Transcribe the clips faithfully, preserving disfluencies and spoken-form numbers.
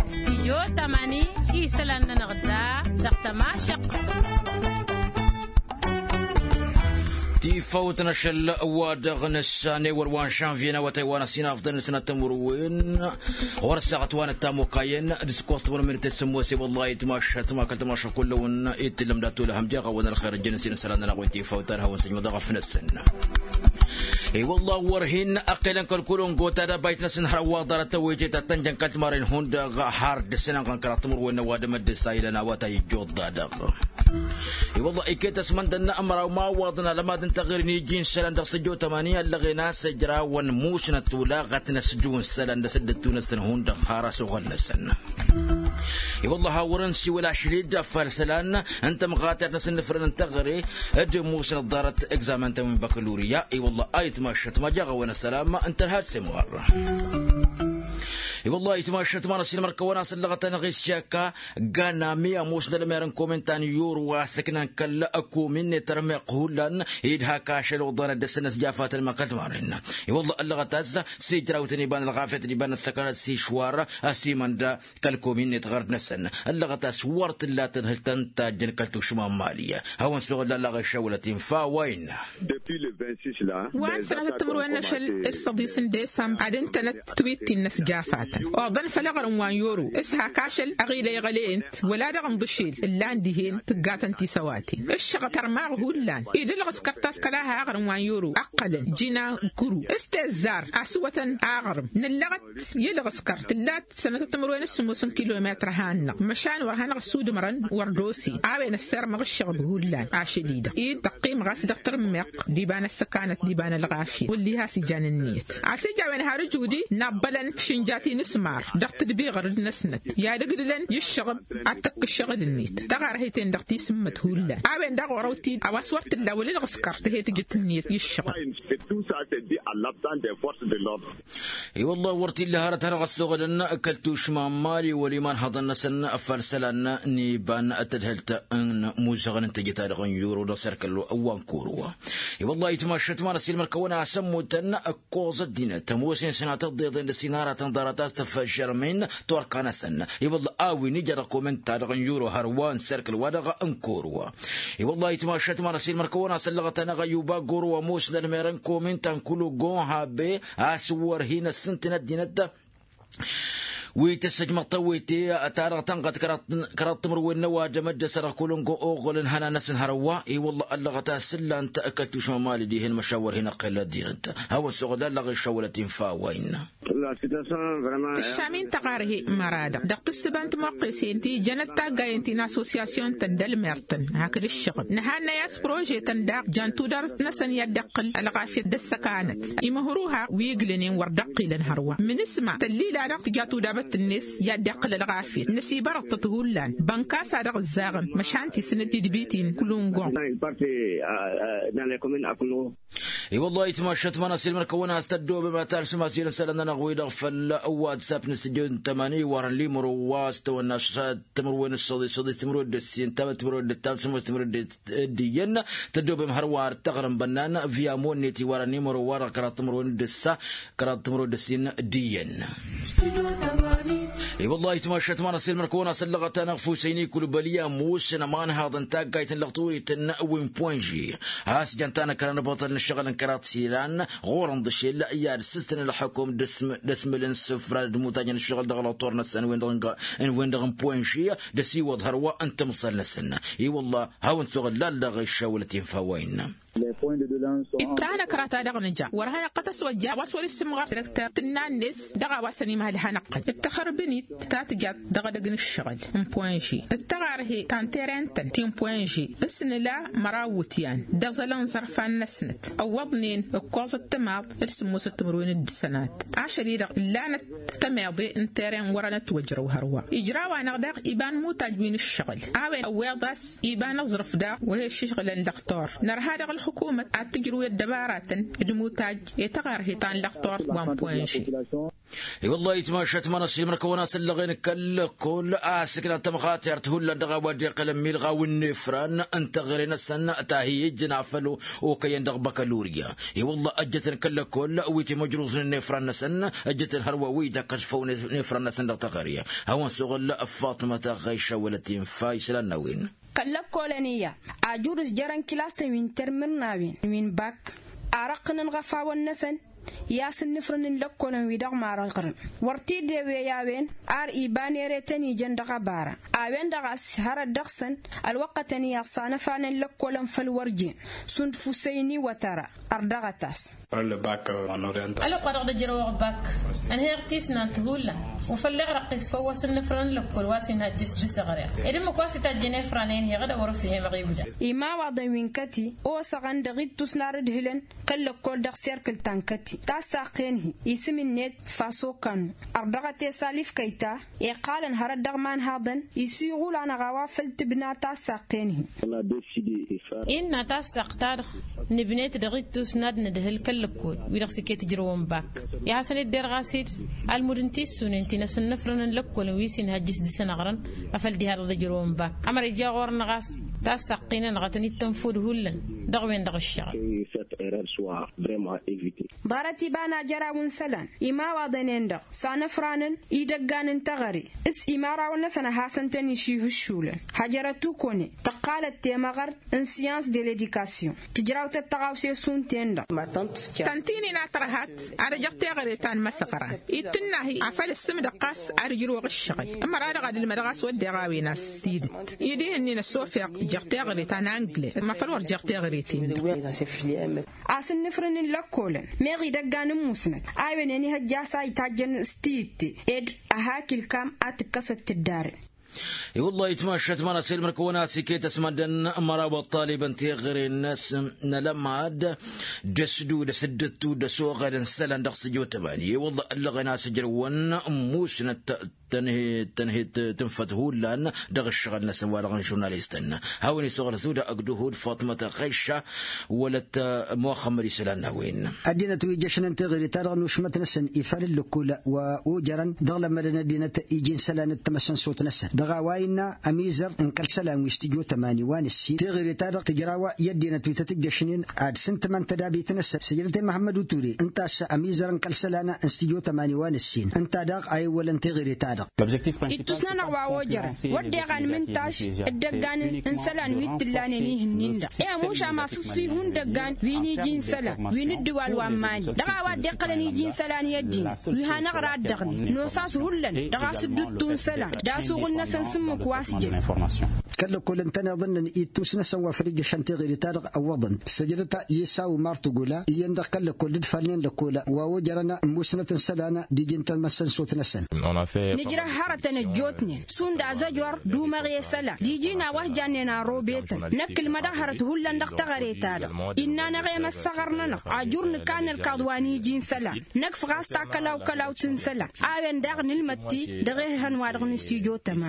Stijyo tămani isălan-nănăɣ da dăɣ-tămašăq. Tifawt n-ašăl wa-dăɣ nǝssan ewăr wa n-žănvyen awătay wa n-ăsinafḍăn n-sănăt timǝrwen ɣur-ăssaɣăt wa n-ăttamukayăn d-sǝkkoẓ timǝrwen d-tăssǝmmos i-wălla itmašăt ma kăl-tămašăt kull-awăn itǝllăm dat-olăhăm jeɣ-awăn ălxer ăjjăn ăsinăsălan-nănăɣ wi n-tifawt ad-hawăn-săjmăḍ aɣăf-năsăn. I-wălla wăr hin-ăqqelăn kăl-kulǝngo tadabajt-năsăn hărwa ḍarăt tăwăyăt i-tattănjăn kăl-timărren hundăɣ har dăr-săn ănɣăn kăraḍ timǝrwen n-ăwadǝm dd-ăsayǝlăn awătay ijjuḍ-da-dăɣ. I-wălla iket ăsmăndăn n-amăraw imawaḍăn alămad n-taɣri n-iji n-isălan dăɣ-săjjo tămani ăllăɣen a-s ǝjrawăn musnăt tulaɣăt n-asǝjju n-isălan d-asǝddǝttu-năsăn hundăɣ har asuɣǝl-năsăn. I-wălla hawăr-ǝnsiwǝl ašli-dd ăffal isălan n-tămɣatert n-asǝnnǝfrăn n-taɣre d-musnăt ḍarăt egzamen-tăn wi n-băkălurya. I-wălla a itmašăt ma jaɣ-awăn ăssălam n-tărha d-semɣar. I-wălla a itmašăt ma n-ăsilmăr-kăwăn a-s ăllăɣăt-anăɣ isyaka ganami ămoos n-ălmer n-komin ta n-yuru a-s ǝknan kăl-komin-net ărmeɣ hullan idha kašăl oḍanăt dăr-săn ăsjafatăn ma kăl-timaren. I-wălla ăllăɣăt a-s s-ijrawtăn iba n-ălɣafyăt d-iba n-ăssăkanăt s-išwar ăsimănda kăl-komin-net ɣărd-năsăn ăllăɣăt a-s wăr t-illa tadhǝlt ta n-tajjăn kăl-tušma n-mali. Hawăn-suɣǝl allaɣ išawălăt infa wa innă. Wa n-sănatăt timǝrwen n-ašăl d-săḍis n-desămbăr ad-ǝntănăt twitti n-inăsjafatăn oḍăn făll-aɣrǝm wa n-yoro s-hak ašăl aɣila iɣăley-ǝnt wăla-dăɣ ǝnḍǝšel ǝllan dihen tǝggatăn tisăwaten ǝššăɣăt ărmaɣ hullan. Ed-ǝlɣǝskăr taskăla ha aɣrǝm wa n-yoro ăqqălăn jina kuru s-tezzar asǝwătăn aɣrǝm nǝllăɣăt i-ǝlɣǝskăr tǝllat sănătăt timǝrwen s-sǝmmos n-kilometr a han-năɣ măšan wăr hanăɣ-ăssudǝmărăn wăr d-osen a-wen ăssirmăɣ ǝššăɣb hullan ašăl-i-dăɣ id tăqqimăɣ a-s dăɣ-tărǝmmeɣt d-iba n-ăssăkanăt d-iba n-ălɣafyăt wălli has-ijan ǝnniyăt. A-s ija a-wen har ǝjudi n-abbălăn šǝnjat inǝsmar dăɣ-tǝdbiɣăr d-inăsnăt i-ad-ǝgdǝlăn i-ǝššăɣb ad-tăkk ǝššăɣǝl-net taɣarhe-ten dăɣ-tisǝmmăt hullan. A-wen daɣ ɣur-awtid a-wa s-wăr t-illa wăla ǝlɣǝskăr tǝhe tǝjǝt ǝnniyăt i-ǝššăɣǝl. I-wălla wăr t-illa hărăt hanăɣ-ăssoɣălăn kăl-tušma n-mali wăla imanhăḍăn-năsăn ăffalsălan n-iba n-tadhǝlt n-imuzăɣăn n-tejăt-ta-dăɣ n-yuro dăɣ-serkăl wa n-kuru. I-wălla itmašăt ma n-ăsilmăr-kăwăn a-s ămmutăn ǝkkoẓ ăddinăt ămoos-in sănatăt dd-iḍen dăr-s inaratăn ḍarăt a-s tăffăžžărmen turka-năsăn. I-wălla a-wen ija dăɣ-koment-ta-dăɣ n-yuro hărwa n-serkăl-wa-dăɣ n-kuru. I-wălla itmašăt ma n-ăsilmăr-kăwăn a-s ăllăɣăt-anăɣ ăyuba goro ămoos n-ălmer n-komin ta n-kulugon habe a-s wăr hin-ăssǝntǝn ăddinăt wi tăssăjmăḍ tawete ta-dăɣ tănɣăt kăraḍ timǝrwen n-ăwadǝm dd-ăssărăɣ kulugon oɣălăn hănan-năsăn hărwa. I-wălla ăllăɣăt a-s ǝllan-t kăl-tušma n-mali dihen măšan wăr hin-ăqqel ăddinăt. Hawăn-suɣǝl ăllăɣ iššăwălăt infa wa innă. Tǝššam-in tăɣarhe măra-dăɣ dăɣ-tǝssǝba n-timoqqesen ti jănăt taggayen ti n-assosyasyon-tăn d-ălmer-tăn hakd ǝššăɣǝb nǝhannăy a-s prože-tăn daɣ jan tudabăt-năsăn i-ad-dd-iqqǝl ălɣafyăt d-ăssăkanăt. Imǝhruha wi ǝglănen wăr dd-ăqqilăn hărwa mǝnǝsma tăllil-anăɣ tǝja tudabăt-net i-ad-dd-iqqǝl ălɣafyăt nǝsibărăḍ-tăt hullan bănkas a dăɣ-ǝzzaɣăn măšan tisǝnǝd tidbit-in kǝlungon. I-wăllah itmašăt ma n-asilmăr-kăwăn a-s tăddoobem ad-talsǝm asilăn isălan-nănăɣ-wi-dăɣ făll-whatsapp n-studio n-tămani iwarăn limro wa s-tawănna s-timǝrwen d-săḍis săḍis timǝrwen d-ǝssin tamăt timǝrwen d-ǝttam sămoos timǝrwen d-ǝddiyăn. Tăddoobem hărwa ad-taɣrǝm bănnan via monnet iwarăn limro wa dăɣ-kăraḍ timǝrwen d-ǝssa kăraḍ timǝrwen d-ǝssin d-iyyăn. I-wăllah itmašăt ma n-asilmăr-kăwăn a-s ăllăɣăt-anăɣ fusăyni kulbăli ămoosăn ămanhaḍăn taggayt n-lăɣturităn wi n-poinži a-s jăn-tanăkra n-abăṭăl n-ǝššăɣǝl n-kăraḍ silan ɣur-ănḍǝšel i-ad-sǝstăn ălxukum d-ăsmǝlăn sǝfra d-imutajăn ǝššăɣǝl dăɣ-lăṭur-năsăn wen-dăɣ n-poinži d-ăsiwăḍ hărwa n-timǝṣṣal-năsăn. I-wăllah hawăn-suɣǝl lallăɣ iššawălăt infa wa innă. Ittanăkra ta dăɣ-nǝja wăr hanăɣ-tăswăjja a-wa s-wăr-issǝmɣăr direkter tǝnna-net dăɣ-a-wa săn imhăl hanăɣ-tăn d-taxărbǝnit ta tǝjat dăɣ-edăgg n-ǝššăɣǝl n-poinži d-taɣarhe ta n-teren-tăn ti n-poinži s-nǝla măraw iwǝtyan d-aẓăl n-iẓărfan-năsnăt ăwwăḍnen ǝkkoẓăt timaḍ d-sǝmmosăt timǝrwen d-sănat. Ašăl-i-dăɣ ǝllanăt tămeḍe n-teren wăr-ănătwăjrăw hărwa ijraw-anăɣ daɣ iba n-imutaj wi n-ǝššăɣǝl a-wen ăwweḍ a-s iba n-aẓrǝf daɣ wa he-iššǝžɣǝlăn lăxtur nărha dăɣ-ălxukumăt ad-tǝjrǝw i-ăddăbaratăn d-imutaj i-taɣărhe ta n-lăxtur wa n-poinži. I-wăllah itmašat manăs imrăkăwăn-as ăllăɣen kăl-lăkkol a-s ǝknan tămɣatert hullan dăɣ-a-wa dd-iqqălăn milɣaw n-efran n-teɣăre-năsăn ta hi-ijjăn afăl okăyăn dăɣ-băkălurya. I-wăllah ăjjătăn kăl-lăkkol wi timăjruẓnen n-efran-năsăn ăjjătăn hărwa wi d-akkăsfăw n-efran-năsăn dăɣ-teɣăre. Hawăn-suɣǝl faṭmăt ɣăyša wălăt infa isălan n-a-wen. Kăl-lăkkolăn iyyăn ajurǝs jărăn kilas-tăn wi n-termǝr n-a-wen wi n-bak arăqqǝnăn ɣăfawăn-năsăn i-asǝnnǝfrǝn n-lăkkolăn wi dăɣ-marăɣrǝn wăr t-dd-ewe i-a-wen. Ar iba n-ere tăn-ijăn dăɣ-ăbara a-wen-dăɣ a-s hărăt dăɣ-săn ălwăqqătăn iyyăn ăṣṣanăfranăn lăkkolăn făll-wăr jen šund fusăyni wătăra. Ărdăɣăt-as. Ălwăqq wa dăɣ-dd-ǝjrăwăɣ bak ănhăyăɣ tisnant hullan wa făll-iɣrăqqis făw wa s-ǝnnǝfrăn n-lăkkol wa s-inhăjjăš dăɣ-s ăɣreɣ ed ǝmmǝk wa s-itajjăn efran enheɣ d-a wăr-ăfhemăɣ ibda. Imawaḍăn wi n-kăti osăɣăn dăɣ-ittus n-ar ǝdhǝlăn kăl-lăkkol dăɣ-serkǝl ta n-kăti tassaqqen-hi isǝm-net fasokanu ărdăɣăt i-salif kăyta iqqalăn hărăt dăɣ-imanhaḍăn isiɣul-anăɣ a-wa făl tǝbna tassaqqen-hi. Innă tassaɣt-ta-dăɣ nǝbnet dăɣ-ittus n-ad-nǝdhǝl kăl-lăkkol wi-dăɣ s-iket ǝjrăwăn bak i-ad-hasăn-dd-derɣas-dd almud n-tissunen ti n-asǝnnăfrăn n-lăkkolăn wi s-inhăjjǝs dăɣ-săn ăɣrăn afăl diha-dăɣ dd-ǝjrăwăn bak ămăra ija ɣur-năɣ a-s tassaqqin-anăɣ ad-tăn-dd-tănfud hullan dăɣ-wen-dăɣ ǝššăɣǝl. Ḍarăt iba n-ajăraw n-isălan imawaḍăn-en-dăɣ s-anăfranăn idăggan n-teɣăre s-imărawăn-năsăn ad-hasăn-tăn-išihǝššulăn hăjrăt ukone tăqqalăt temăɣărt n-siyans de ledikasyon tǝjrawtăt tăɣawse šund-ten-dăɣ. Tăn-t-inin a tărhat ad-ăjăɣ teɣăre ta n-imăsăɣran-i tǝnna-hi afăl ǝssǝmdăɣ ɣas ad-ǝjrǝwăɣ ǝššăɣǝl ămăra-dăɣ ad-ǝlmădăɣ a-s wădden a-wen-as tidǝt-i dihen-in ăssofeɣ ǝjjăɣ teɣăre ta n-angled mafăl wăr jăɣ teɣăre-ten-dăɣ. Asǝnnǝfrǝn n-lăkkolăn meɣ idăggan n-musnăt a-wen-en ihăjja a-s a itajjăn s-tiyǝtte ed ăha akǝlkam a tǝkkăsăt tǝddarăn. I-wăllah itmašat măra s-ilmăr-kăwăn-as iket ăsmăndăn măraw ăṭṭalibăn teɣăre-năsăn n-alămad d-ăsdud ăsǝddǝttu d-ăsoɣăd n-isălan dăɣ-sǝjo tămani i-wăllah ăllăɣen a-s ǝjrăwăn musnăt tăn-hi tăn-hi tǝnfăt hullan dăɣ-ǝššăɣǝl-năsăn wa-dăɣ n-žurnalistăn. Hawăn-isoɣăl zuda ăgg duhud faṭmăt ăɣɣăyša wălăt muxămmăd isălan n-a-wen. Ăddinăt wi jăšnen teɣăre-ta-dăɣ n-ušmăt-năsăn ifal ǝllǝkkul wa ojărăn dăɣ-lămmădăn ăddinăt iji n-isălan d-tamăsănsot-năsăn dăɣ-a-wa innă ămizăr n-kăl-isălan wi s-tǝjo tămani wa n-ǝssin teɣăre-ta-dăɣ tǝjraw i-ăddinăt wi tăt-ǝjjăšnen ad-sǝntǝmăn tădabit-năsăn sǝjdăt i-măhămmăd uture ǝnta a-s ămizăr n-kăl-isălan n-s tǝjo tămani wa n-ǝssin ǝnta daɣ a iwwălăn teɣăre-ta-dăɣ. Ittus-nănăɣ wa ojărăn wădden anmǝntaš d-ăggan n-isălan wi t-ǝllanen ihǝnnin-dăɣ i-amuš amasǝssi hundăggan wi n-iji n-isălan wi n-ǝddǝwal wa n-mali dăɣ-a-wa dd-iqqălăn iji n-isălan i-ăddin wi hanăɣ-raddăɣnen nos-as hullan dăɣ-asǝdduttu n-isălan d-asuɣǝl-năsăn s-ǝmmǝk wa s-jăn. Kăl-lăkkol ǝntăneḍ ǝnnăn ittus-năsăn wa făl ijjăšăn teɣăre-ta-dăɣ ăwwăḍăn săjdăt i-s a umar tǝgola iyyăn dăɣ-kăl-lăkkol d-ǝdfalnen lăkkol wa ojărăn ămmusnăt n-isălan d-iji n-tamăsănsot-năsăn. Nǝjrăh hărătăn ăjjootnen šund azăjor d-umăɣ i-isălan d-iji n-a-wa s-jannen arrobetăn năkk ǝlmădăɣ hărăt hullan dăɣ-teɣăre-ta-dăɣ innă-năɣ i-măssăɣăr-nănăɣ ajur nǝkka n-ărkaḍ wa n-iji n-isălan năkf ɣas ta kălaw-kălawt n-isălan a-wen daɣ nǝlmăd-t-i dăɣ-ehăn-wa-dăɣ n-stujo tămani.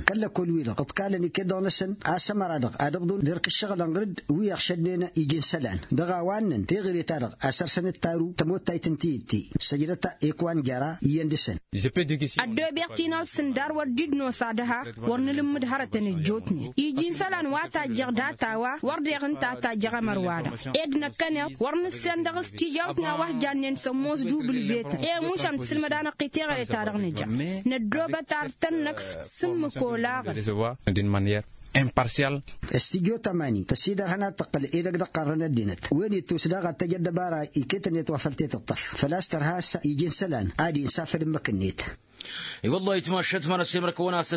Kăl-lăkkol-wi-dăɣ ǝḍkalăn iket-dăɣ-năsăn a-s ămăra-dăɣ ad-ǝbḍun d-erk ǝššăɣǝlăn ɣǝr-dd wi ăɣšădnen iji n-isălan dăɣ-a-wa ǝnnăn teɣăre-ta-dăɣ a săr-săn d-taru tămottayt n-tiyǝtte săjdăt ekwan jăra iyyăn dăɣ-săn. Ăddoobeɣ tinawt s-ǝndar wăr dd-nosa dăɣ-ha wăr nǝlǝmmǝd hărătăn ăjjootnen iji n-isălan wa tajjăɣ data-wa wăr deɣ ǝnta a tajjăɣ ămăr-wa-dăɣ ed năkkăneḍ wăr nǝssen dăɣ-s tijawt n-a-wa s-jannen sămmos d-ubǝlvetăn i-mušam tǝsǝlmăd-anăɣ-t i-teɣăre-ta-dăɣ nǝja năddoobăt ar tăn-năkf s-ǝmmǝk olaɣăn. Imparsial. S-tijo tămani tăsidărhăn ad-tǝqqǝl edăgg d-ăqqarrăn ăddinăt wen ittus daɣ ad-tăj ăddăbara iket-net wa făl tetǝṭṭăf făl-a-s tărha a-s iji n-isălan ad-insa făll-ǝmmǝk-net. I-wălla-hi tmašăt ma n-ăssemrăkăwăn a-s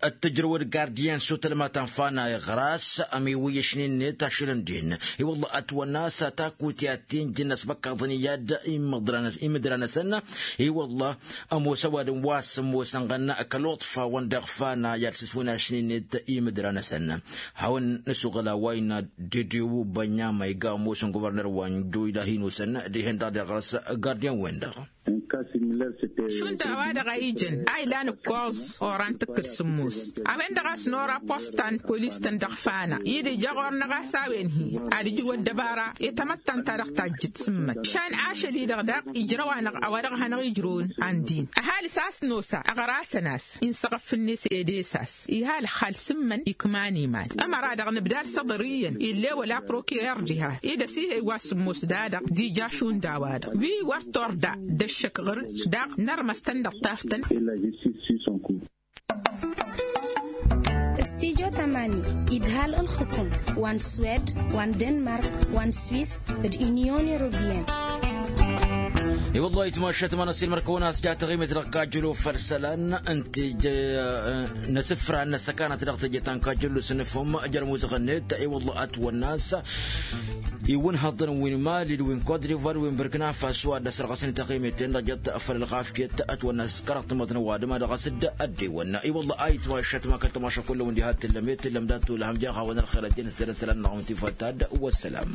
ăttăjrăwăd gardiyăn s-otălma ta n-fanay ɣur-as ămiwǝyyăšnen-net ašăl ǝndin. I-wălla ătwănna a-s ataku ti-ad-t-injǝn ăsbăkkaḍăn iyyăd imǝdra-năsăn. I-wălla ămoos ăwadǝm wa s-ămoosăn ɣănna kăl-oḍfawăn dăɣ-fanay ad-sǝswǝnašnen-net imǝdra-năsăn. Hawăn-nǝsuɣǝl a-wa innă dedew bănyama iga ămoosăn guvărnăr wa n-joyla hin-osăn dihen-dăɣ deɣ ɣur-s gardiyăn-wen-dăɣ. Šund a-wa-dăɣ a ijăn a ilan ǝkkoẓ oran tǝkkǝd sǝmmos. A-wen-dăɣ a-s nora postan polis-tăn dăɣ-fana-i-dd ija ɣur-năɣ a-s a-wen-hi ad-ǝjrǝw ăddăbara i-tamăttant-ta-dăɣ tajjǝd sǝmmăt. Išan ašăl-i-dăɣ daɣ ijrăw-anăɣ a-wa dăɣ-hanăɣ-ijrăwăn. An-din ăhalǝs a-s nosa ăɣrasăn-as inṣăɣăf-net edes-as. Iha ălxal s-ǝmmăn ikman iman ămăra-dăɣ nǝbdad s-aḍăr iyyăn ill'-e wăla prokirer diha-i d-ăsihăy wa s-ǝmmos da-dăɣ d-ija šund a-wa-dăɣ wi wăr torda d-ăššăk ɣǝr-dd daɣ nărmăs-tăn-dăɣ taftăn. Ăstijo tamani idhal ǝlxǝkum wa n-swed wa n-denmark wa n-swis d-inyon europiyăn. I-wăllah itmašat ma n-asilmăr kăwăn-as ja taɣimet dăɣ-kajjălo făll-isălan ǝnta ija n-asǝfra n-asăkanăt dăɣ-teje ta n-kajjălo s-nǝfhǝm jer-amuzăɣ-net. I-wăllah ătwănna a-s iwǝnhăḍăn wi n-mali d-wi n-kot divar wi n-bărkna faso ad-dd-ăsărɣăsăn i-taɣimet-en-dăɣ jăt făll-ălɣafyăt. Ătwănna a-s kărăɣ tamăḍnăw adǝm a dăɣ-asǝdd ăddewăn i-wăllah a itmašat ma kăl-tamaša kull-wăn diha t-tǝllăm i-tǝllăm dat-tolhăm jaɣawăn ălxer ăddin ăzzerăn isălan-năɣ wǝn tifăt tadd-wăssalam.